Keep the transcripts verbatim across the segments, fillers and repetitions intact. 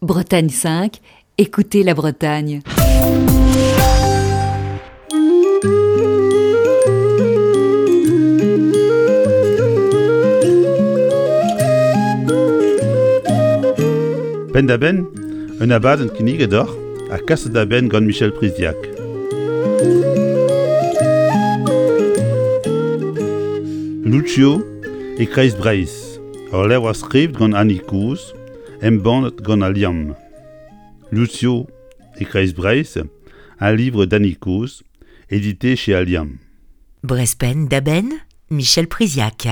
Bretagne cinq, écoutez la Bretagne. Penn-da-benn, un abadenn kinniget deoc'h ha kaset da benn gant Michel Priziac. Lucio e Kreiz Breizh, ur levr skrivet gant Annie Kozh, embannet gant Al Liamm. Lucio e Kreiz Breizh, un livre d'Annie Coz, édité chez Al Liamm. Brezh Penn-da-Benn, Michel Priziac.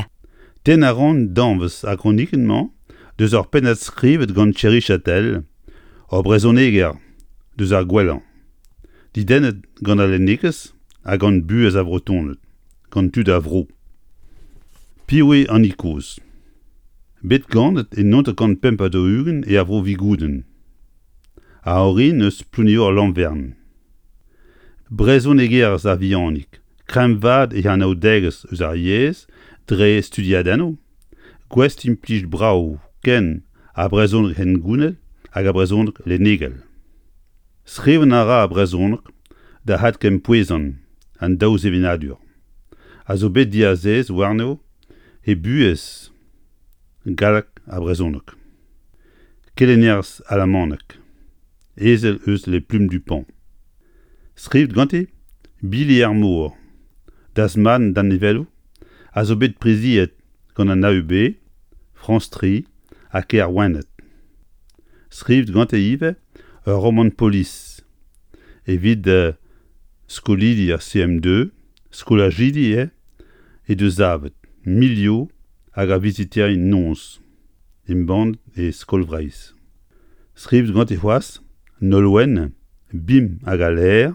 Tennañ a ran danvez ar gronikenn-mañ deus ur pennad skrivet gant Thierry Châtel, ur brezhoneger deus ar gwellañ. Dedennet gant al lennegezh ha gant buhez ar Vretoned, gant tud ar vro. Piv eo Annie Coz ? Bet ganet e naontek pemp ha daou-ugent e ar vro Vigoudenn. A orin eus Plouneour-Lanvern. Brezhonegerez a-vihanik, kreñvaat he anaoudegezh eus ar yezh dre studiadennoù, gouest implij brav ken ar brezhoneg hengounel hag ar brezhoneg lennegel. Skrivañ a ra ar brezhoneg da adkempouezañ an daou sevenadur, a zo bet diazez warno he buhez galleg ha brezhoneg. Kelennerez alamaneg, ezel eus Les Plumes du Pan. Skrivet ganti Bili er mor, Dasman danevelloù, a zo bet priziet gant an A U B, France tri ha Kêr Wened. Skrivet ganti ivez ur romant polis evit uh, skolidi ar C M deux, skolajidi eo he deus savet, Milio hag ar viziterien noz, embann e Skol Vreizh. Skrivet ganti c'hoazh Nolwenn, Bim hag al laer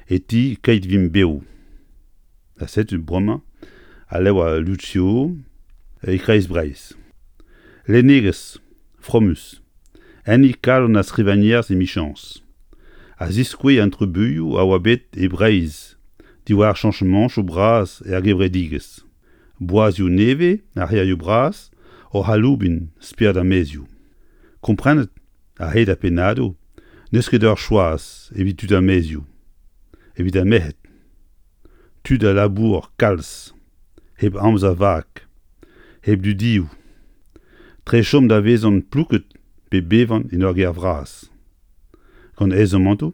e ti Keit Vimp Bev. Ha setu bremañ al levr Lucio e Kreiz Breizh. Lennegezh, fromus, enni kalon ar skrivagnerez emichañs, a ziskouez an trubuilhoù a oa bet e Breizh diwar chañchamantoù bras er gevredigezh. Boazioù nevez ar c'hêrioù bras oc'h aloubin spered ar maezioù. Komprenet a-hed ar pennadoù n'eus ket ur choaz evit tud ar maezioù, evit ar merc'hed. Tud a labour kalz, hep amzer vak, hep dudioù. Tre chom da vezañ plouket pe bevan en ur gêr vras. Gant aezamantoù,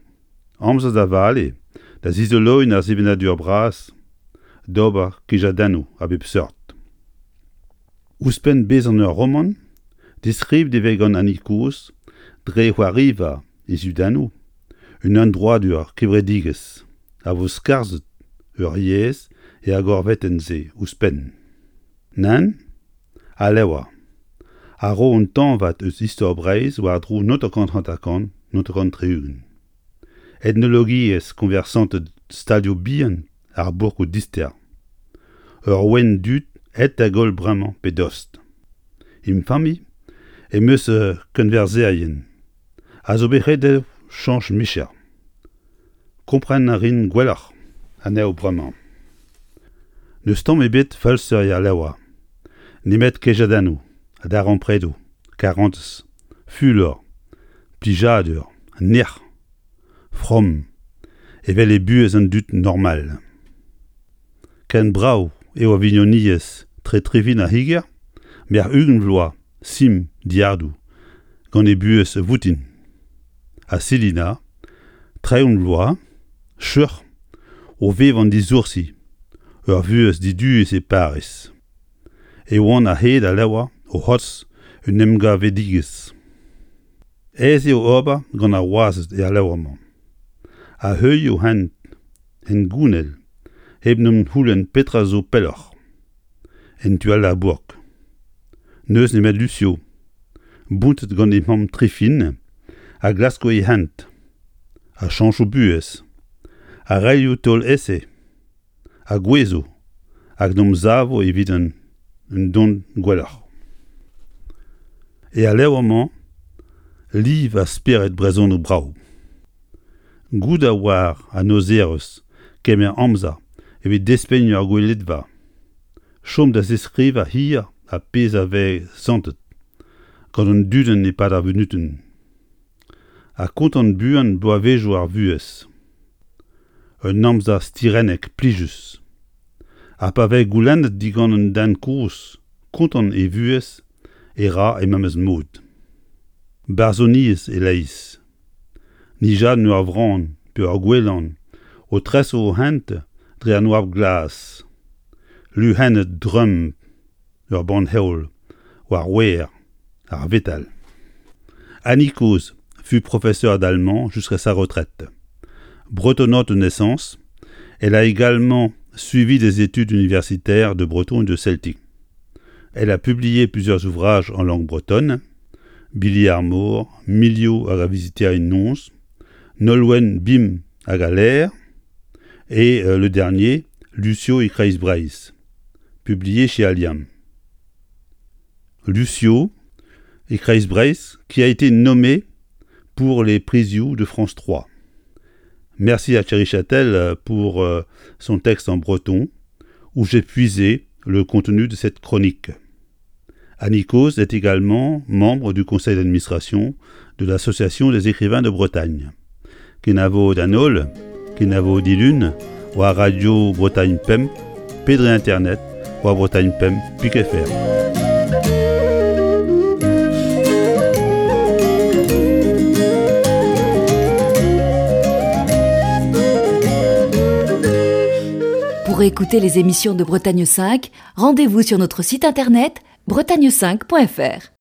amzer da vale, da zizoloiñ ar sevenadur bras, d'ober kejadennoù a bep seurt. Ouzhpenn bezañ ur romant, deskrivet e vez gant Annie Coz dre c'hoariva e zudennoù, un emdroadur kevredigezh a vo skarzhet ur yezh er gorvetenn-se ouzhpenn. Nann, al levr a ro un tañvad eus istor Breizh war-dro naontek hanter-kant, naontek tri-ugent. Etnologiezh koñversanted stalioù bihan ar bourkoù dister. Ur ouenn dud aet da goll bremañ pe dost. Em familh em eus kenwerzherien a zo bet ret dezho chañch micher. Kompren a rin gwelloc'h anezho bremañ. N'eus tamm ebet falser er levr, nemet kejadennoù ha darempredoù, karantez, fulor, plijadur, nec'h, from, evel e buhez an dud normal. Ken brav eo ar vignoniezh tre Trifin ar c'higer, merc'h ugent vloaz, sim diardoù, gant e buhez voutin. Ha Selina, tregont vloaz, cheuc'h, o vevañ disoursi, ur vuhez diduus e Pariz. E oan a-hed al levr o c'hortoz un emgavedigezh. Aes eo ober gant ar wazed er levr-mañ. A heuilh o hent hengounel hep n'em c'houlenn petra zo pelloc'h. En tu all d'ar bourk. N'eus nemet Lucio, bountet gant e mamm Trifin, a glasko e hent, a chañcho buhez, a raio taol ese, a gouezo, hag n'om savo evit un, un dont gwelloc'h. E al levr-mañ, liv a spered brezhoneg brav. Goût a oar an aozerez kemer amzer evit despegn ur gweledva. Chom da zeskrivañ hir ar pezh a vez santet gant an dudenn e-pad ar vunutenn. Ha kontant buan bloavezhioù ar vuhez. Un amzer stirennek plijus. Ha pa vez goulennet digant un den kozh kontant e vuhez e ra e memes mod. Barzhoniezh e-leizh. Nijadenn ur vran pe ur gouelan o tresañ o hent dre an oabl glas. Luc'hennet dremm ur bann-heol war wer ar vetal. Annie Coz fut professeure d'allemand jusqu'à sa retraite. Bretonnante de naissance, elle a également suivi des études universitaires de breton et de celtique. Elle a publié plusieurs ouvrages en langue bretonne, Bili ar mor, Milio hag ar viziterien noz, Nolwenn Bim hag al laer, et euh, le dernier, Lucio e Kreiz Breizh, publié chez Al Liamm. Lucio e Kreiz Breizh, qui a été nommé pour les Prizioù de France trois. Merci à Thierry Châtel pour euh, son texte en breton, où j'ai puisé le contenu de cette chronique. Annie Coz est également membre du conseil d'administration de l'Association des écrivains de Bretagne. Kenavo d'an holl, kenavo dilun, war Radio Bretagne Pemp, pe dre Internet, war Bretagne Pemp, pik F R. Pour écouter les émissions de Bretagne cinq, rendez-vous sur notre site internet bretagne cinq point F R.